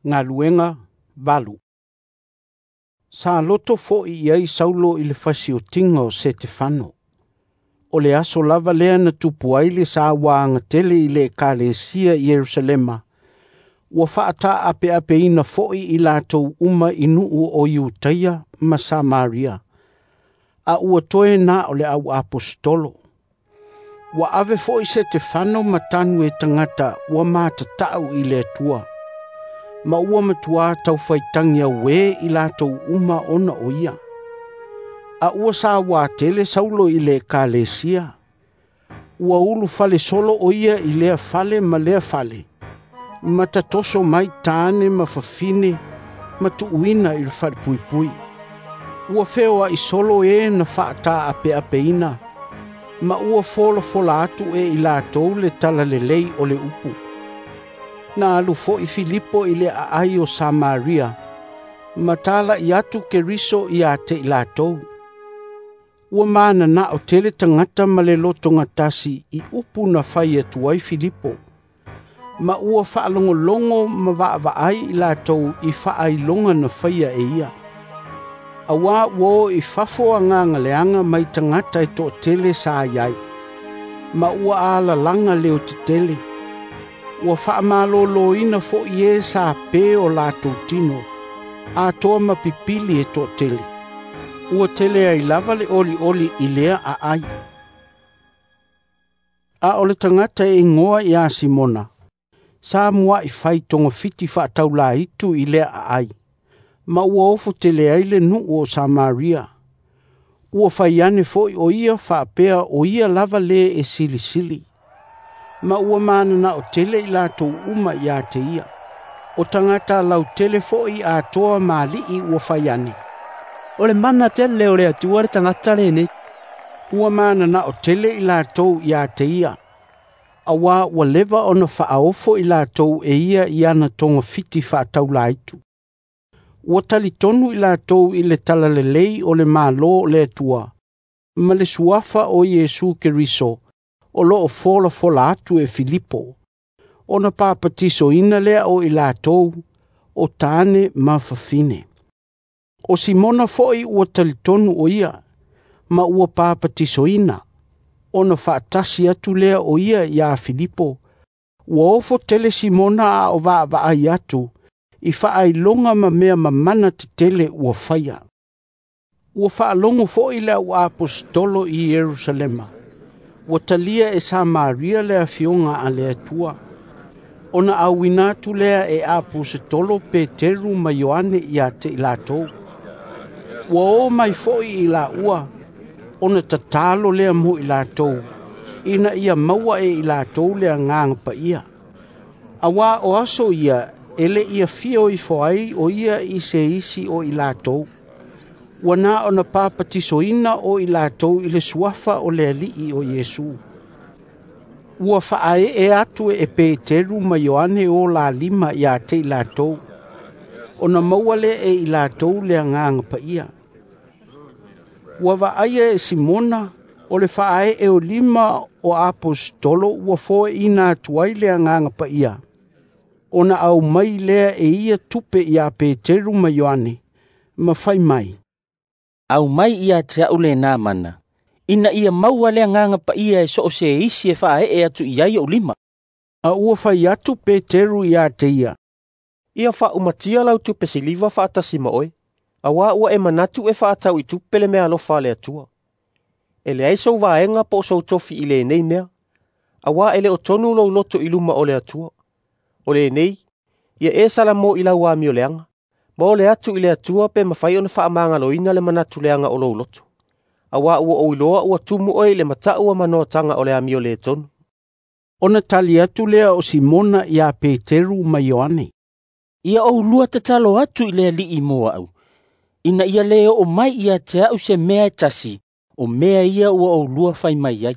Galuega 8. Sa loto fo'i i ai Saulo i le fasiotiga o Setefano. O le aso lava lea na tupu ai le sauaga tele i le ekalesia i Ierusalema, ua faataapeapeina fo'i i latou uma i nuu o Iutaia ma Samaria, a ua toe na o le auaposetolo. Ua ave fo'i Setefano ma tanu e tagata ua matata'u i le Atua, ma ua matuā taufaitagi auē i latou uma ona o ia. A ua sauā tele Saulo i le ekalesia. Ua ulufale solo o ia i lea fale ma lea fale, ma tatoso mai tāne ma fafine ma tuuina i le falepuipui. Ua feoa'i solo e na faataapeapeina, ma ua folafola atu e i latou le talalelei o le upu. Na alu fo'i Filipo i le aai o Samaria, ma tala'i atu Keriso ia te i latou. Ua manana'o tele tagata ma le lotogatasi i upu na fai atu ai Filipo, ma ua faalogologo ma vaavaai i latou i faailoga na faia e ia. Auā ua o i fafo agaga leaga mai tagata e toatele sa i ai, ma ua alalaga leotetele. Ua faamalōlōina fo'i e sa pē o latou tino, atoa ma pipili e toatele. Ua tele ai lava le olioli i lea aai. A o le tagata e igoa iā Simona, sa mua'i fai togafiti faataulāitu i lea aai, ma ua ofo tele ai le nuu o Samaria. Ua fai ane fo'i o ia faapea o ia lava lē e silisili, ma ua manana'o tele i latou uma ia te ia. O tagata lautele fo'i atoa ma ali'i ua fai ane, O le mana tele o le Atua le tagata lenei. Ua manana'o tele i latou ia te ia, auā ua leva ona faaofo i latou e ia i ana togafiti faataulāitu. Ua talitonu i latou i le talalelei o le Malo o le Atua, ma le suafa o Iesu Keriso, o loo folafola atu e Filipo, ona papatisoina lea o i latou, o tāne ma fafine. O Simona fo'i ua talitonu o ia, ma ua papatisoina, ona faatasi atu lea o ia iā Filipo. Ua ofo tele Simona a o vaavaai atu, i faailoga ma mea mamana tetele ua faia. Ua faalogo fo'i le auaposetolo i Ierusalema, ua talia e Samaria le afioga a le Atua. Ona auina atu lea e aposetolo Peteru ma Ioane ia te i latou. Ua o mai fo'i i laua, ona tatalo lea mo i latou, ina ia maua e i latou le agaga paia. Auā o aso ia e le i afio ifo ai o ia i se isi o i latou. Ua na ona papatisoina o i latou i le suafa o le Alii o Iesu. Ua faaee atu e Peteru ma Ioane o la lima ia te i latou, ona maua lea e i latou le agaga paia. Ua vaaia e Simona o le faaee o lima o aposetolo ua foeina atu ai le agaga paia, ona aumai lea e ia tupe iā Peteru ma Ioane, ma fai mai, Aumai ia te a'u lenā mana, ina ia maua le agaga paia e so o se isi e faaee atu i ai o'u lima. A ua fai atu Peteru ia te ia, Ia faaumatia lau tupe siliva faatasi ma oe, auā ua e manatu e faatau i tupe le meaalofa a le Atua. E leai sou vaega po o sou tofi i lenei mea, auā e le o tonu lou loto i luma o le Atua. O lenei, ia e salamo i lau amioleaga, ma ole atu i le Atua pe mafai ona faamagaloina le manatu leaga o lou loto. Auā ua ou iloa ua tumu oe i le mata'u a manoataga o le amio lē tonu. Ona tali atu lea o Simona iā Peteru ma Ioane, Ia oulua tatalo atu i le Alii mo a'u, ina ia lē oo mai ia te a'u se mea e tasi, o mea ia ua oulua fai mai ai.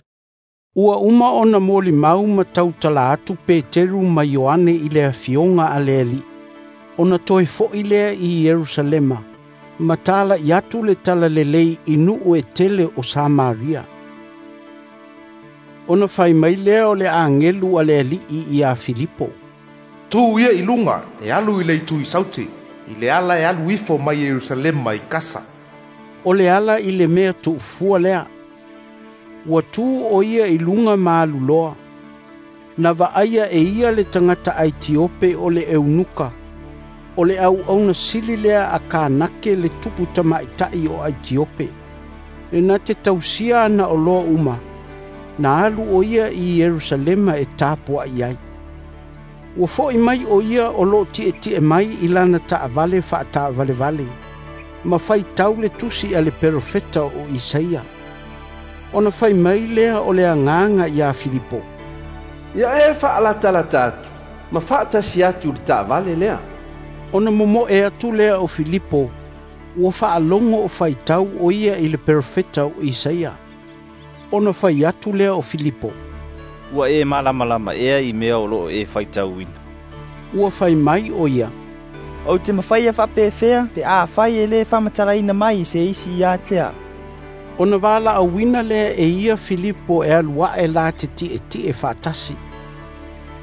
Ua uma ona molimau ma tautala atu Peteru ma Ioane i le afioga a le Alii, ona toe fo'i lea i Ierusalema, ma tala'i atu le talalelei i nuu e tele o Samaria. Ona fai mai lea o le agelu a le Alii iā Filipo, Tu ia i luga e alu i le itu i saute, i le ala e alu ifo mai Ierusalema i Kasa. O le ala i le mea tuufua lea. Ua tu o ia i luga ma alu loa. Na vaaia e ia le tagata Aitiope o le eunuka. O le auauna sili lea a Kanake le tupu tamaʻitaʻi o Aitiope. E na te tausia ana oloa uma. Na alu o ia i Ierusalema e tapuaʻi ai. Ua foʻi mai o ia o loo tietie mai i lana taavale faataavalevale, ma faitau le tusi a le perofeta o Isaia. Ona fai mai lea o le Agaga iā Filipo, “Ia e faalatalata atu ma faatasi atu i le taavale lea.” Ona momoe atu lea o Filipo, ua faalogo o faitau o ia i le perofeta o Isaia. Ona fai atu lea o Filipo, “Ua e malamalama ea i mea o loo e faitauina?” Ua fai mai o ia, “Ou te mafaia faapefea pe afai e lē faamatalaina mai e se isi ia te a'u?” Ona valaauina lea e ia Filipo e alu ae la te tietie faatasi.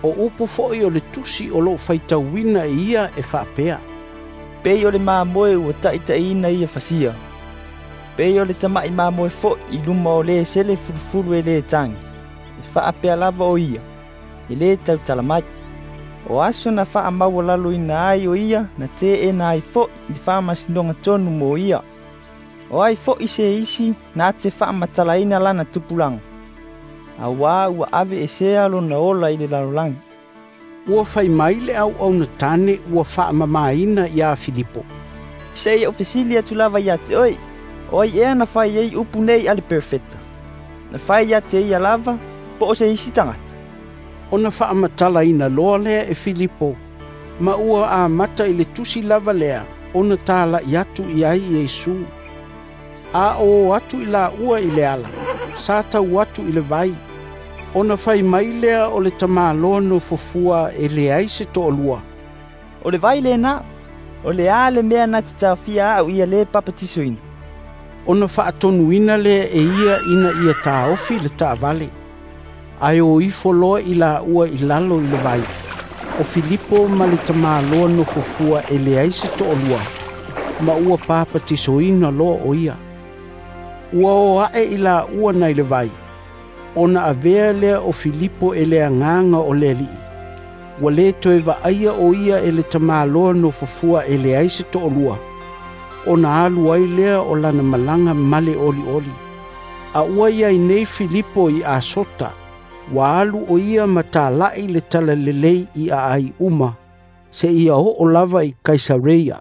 O upu foʻi o le tusi o loo faitauina e ia e faapea, “Pei o le mamoe ua taʻitaʻiina ia fasia, pei o le tamaʻi mamoe foʻi i luma o le sele fulufulu e lē tagi, e faapea lava o ia, e lē tautala mai. O aso na faamaualaloina ai o ia na teena ai foʻi le faamasinoga tonu mo ia. O ai foʻi se isi na te faamatalaina lana tupulaga, auā ua aveesea lona ola i le lalolagi.” Ua fai mai le auauna tane ua faamamaina iā Filipo, “Se i ou fesili atu lava iā te oe, o ai ea na fai ai upu nei a le perofeta? Na fai ia te ia lava, po o se isi tagata?” Ona faamatalaina loa lea e Filipo, ma ua amata i le tusi lava lea ona talaʻi atu i ai Iesu. A o atu i laua i le ala, sa tau atu i le vai, ona fai mai lea o le tamāloa nofofua e leai se toalua, “O le vai lenā, o le a le mea na te taofia aʻu ia lē papatisoina?” Ona faatonuina lea e ia ina ia taofi le taavale. Ae o ifo loa i laua i lalo i le vai, o Filipo ma le tamāloa nofofua e leai se toalua, ma ua papatisoina loa o ia. Ua o aʻe i laua nai le vai, ona avea lea o Filipo e le Agaga o le Alii. Ua lē toe vaaia o ia e le tamāloa nofofua e leai se toalua, ona alu ai lea o lana malaga ma le olioli. A ua iai nei Filipo i Asota, ua alu o ia ma talaʻi le talalelei i aai uma, seia oo lava i Kaisareia.